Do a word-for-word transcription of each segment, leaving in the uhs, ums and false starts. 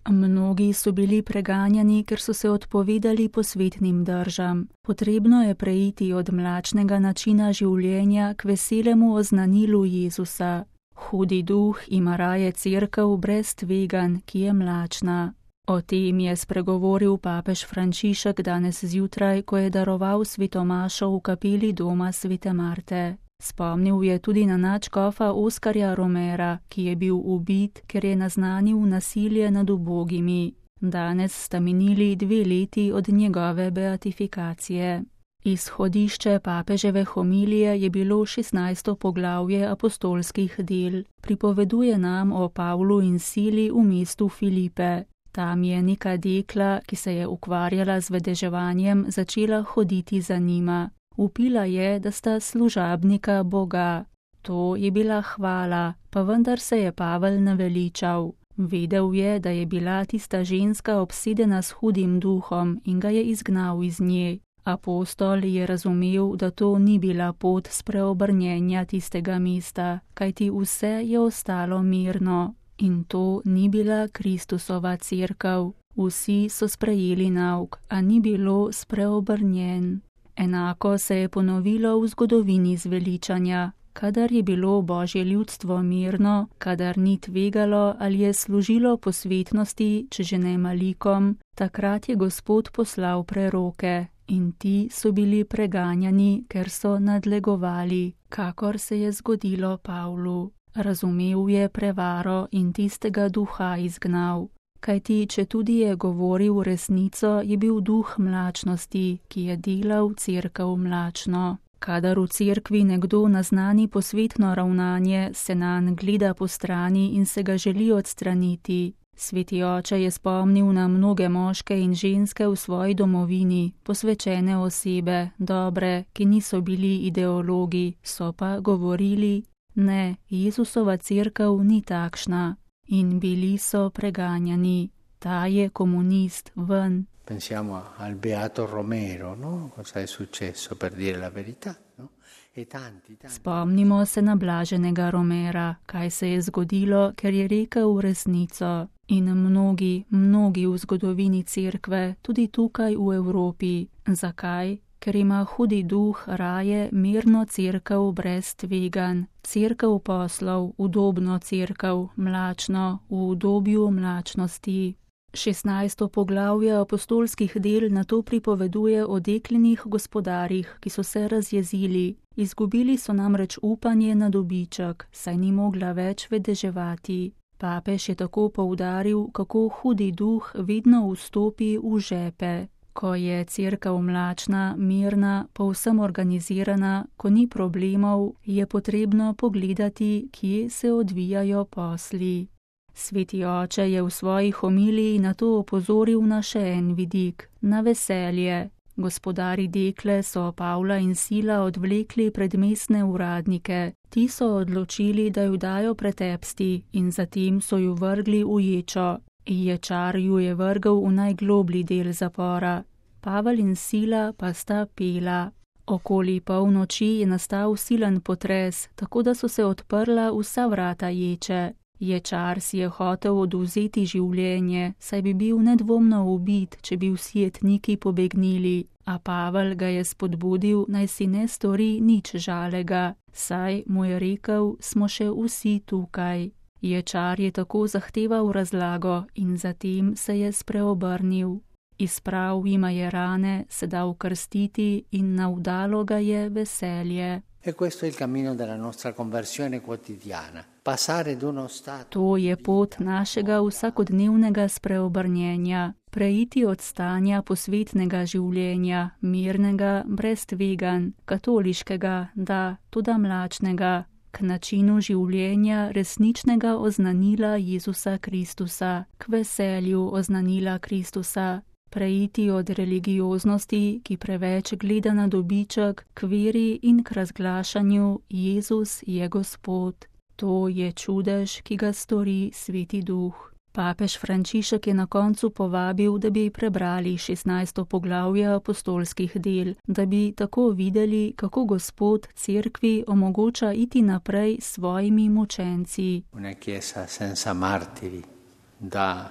Mnogi so bili preganjani, ker so se odpovedali posvetnim držam. Potrebno je preiti od mlačnega načina življenja k veselemu oznanilu Jezusa. Hudi duh ima raje cerkev brez tveganj, ki je mlačna. O tem je spregovoril papež Frančišek danes zjutraj, ko je daroval svetomašo v kapeli doma svete Marte. Spomnil je tudi na nadškofa Oskarja Romera, ki je bil ubit, ker je naznanil nasilje nad ubogimi. Danes sta minili dve leti od njegove beatifikacije. Izhodišče papeževe homilije je bilo šestnajsto poglavje apostolskih del. Pripoveduje nam o Pavlu in Sili v mestu Filipe. Tam je neka dekla, ki se je ukvarjala z vedeževanjem, začela hoditi za njima. Upila je, da sta služabnika Boga. To je bila hvala, pa vendar se je Pavel naveličal. Vedel je, da je bila tista ženska obsedena s hudim duhom in ga je izgnal iz nje. Apostol je razumel, da to ni bila pot spreobrnjenja tistega mesta, kajti vse je ostalo mirno. In to ni bila Kristusova cerkev. Vsi so sprejeli nauk, a ni bilo spreobrnjen. Enako se je ponovilo v zgodovini zveličanja. Kadar je bilo Božje ljudstvo mirno, kadar ni tvegalo ali je služilo posvetnosti, če že ne malikom, takrat je Gospod poslal preroke in ti so bili preganjani, ker so nadlegovali, kakor se je zgodilo Pavlu. Razumel je prevaro in tistega duha izgnal. Kajti, če tudi je govoril resnico, je bil duh mlačnosti, ki je delal cerkev mlačno. Kadar v cerkvi nekdo naznani posvetno ravnanje, se nanj gleda po strani in se ga želi odstraniti. Sveti oče je spomnil na mnoge moške in ženske v svoji domovini, posvečene osebe, dobre, ki niso bili ideologi, so pa govorili: ne, Jezusova cerkev ni takšna. In bili so preganjani. Ta je komunist, ven. Pensiamo al beato Romero, no? Cosa è successo, per dire la verità, no? E tanti, tanti. Spomnimo se na blaženega Romera, kaj se je zgodilo, ker je rekel resnico. In mnogi, mnogi v zgodovini cerkve, tudi tukaj v Evropi. Zakaj? Ker ima hudi duh raje mirno cerkev brez tveganj, cerkev poslov, udobno cerkev, mlačno, v udobju mlačnosti. šestnajsto poglavje apostolskih del na to pripoveduje o deklinih gospodarjih, ki so se razjezili. Izgubili so namreč upanje na dobiček, saj ni mogla več vedeževati. Papež je tako poudaril, kako hudi duh vedno vstopi v žepe. Ko je cerkev mlačna, mirna, povsem organizirana, ko ni problemov, je potrebno pogledati, kje se odvijajo posli. Sveti oče je v svoji homiliji na to opozoril na še en vidik, na veselje. Gospodari dekle so Pavla in Sila odvlekli pred mestne uradnike. Ti so odločili, da ju dajo pretepsti in zatem so ju vrgli v ječo. Ječar ju je vrgel v najgloblji del zapora. Pavel in Sila pa sta pela. Okoli polnoči je nastal silen potres, tako da so se odprla vsa vrata ječe. Ječar si je hotel odvzeti življenje, saj bi bil nedvomno ubit, če bi vsi jetniki pobegnili, a Pavel ga je spodbudil, naj si ne stori nič žalega, saj mu je rekel, smo še vsi tukaj. Ječar je tako zahteval razlago in zatem se je spreobrnil. Izprav jima je rane, se dal krstiti in navdalo ga je veselje. E questo è il cammino della nostra conversione quotidiana. Passare d'uno stato. To je pot našega vsakodnevnega spreobrnjenja. Preiti od stanja posvetnega življenja, mirnega, brez tveganj, katoliškega, da, tudi mlačnega, k načinu življenja resničnega oznanila Jezusa Kristusa, k veselju oznanila Kristusa. Preiti od religioznosti, ki preveč gleda na dobiček, k veri in k razglašanju Jezus je Gospod. To je čudež, ki ga stori Sveti Duh. Papež Frančišek je na koncu povabil, da bi prebrali šestnajsto poglavje apostolskih del, da bi tako videli, kako Gospod cerkvi omogoča iti naprej s svojimi mučenci. Una chiesa senza martiri, da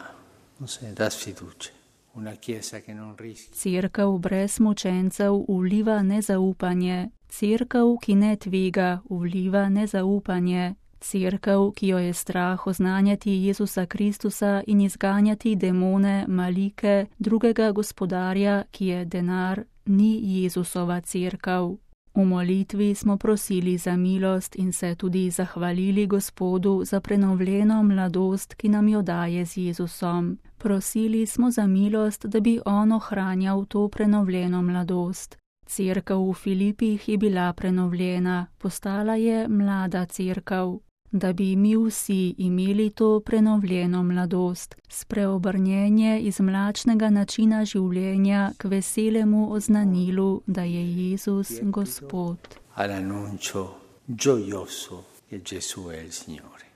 non se dà sfiducia. Una chiesa che non rischia. Cerkev brez mučencev vliva nezaupanje. Cerkev, ki ne tvega, vliva nezaupanje. Cerkev, ki jo je strah oznanjati Jezusa Kristusa in izganjati demone, malike, drugega gospodarja, ki je denar, ni Jezusova cerkev. V molitvi smo prosili za milost in se tudi zahvalili Gospodu za prenovljeno mladost, ki nam jo daje z Jezusom. Prosili smo za milost, da bi on ohranjal to prenovljeno mladost. Cerkev v Filipih je bila prenovljena, postala je mlada cerkev. Da bi mi vsi imeli to prenovljeno mladost, spreobrnjenje iz mlačnega načina življenja k veselemu oznanilu, da je Jezus Gospod. All'annuncio gioioso che Gesù è il Signore.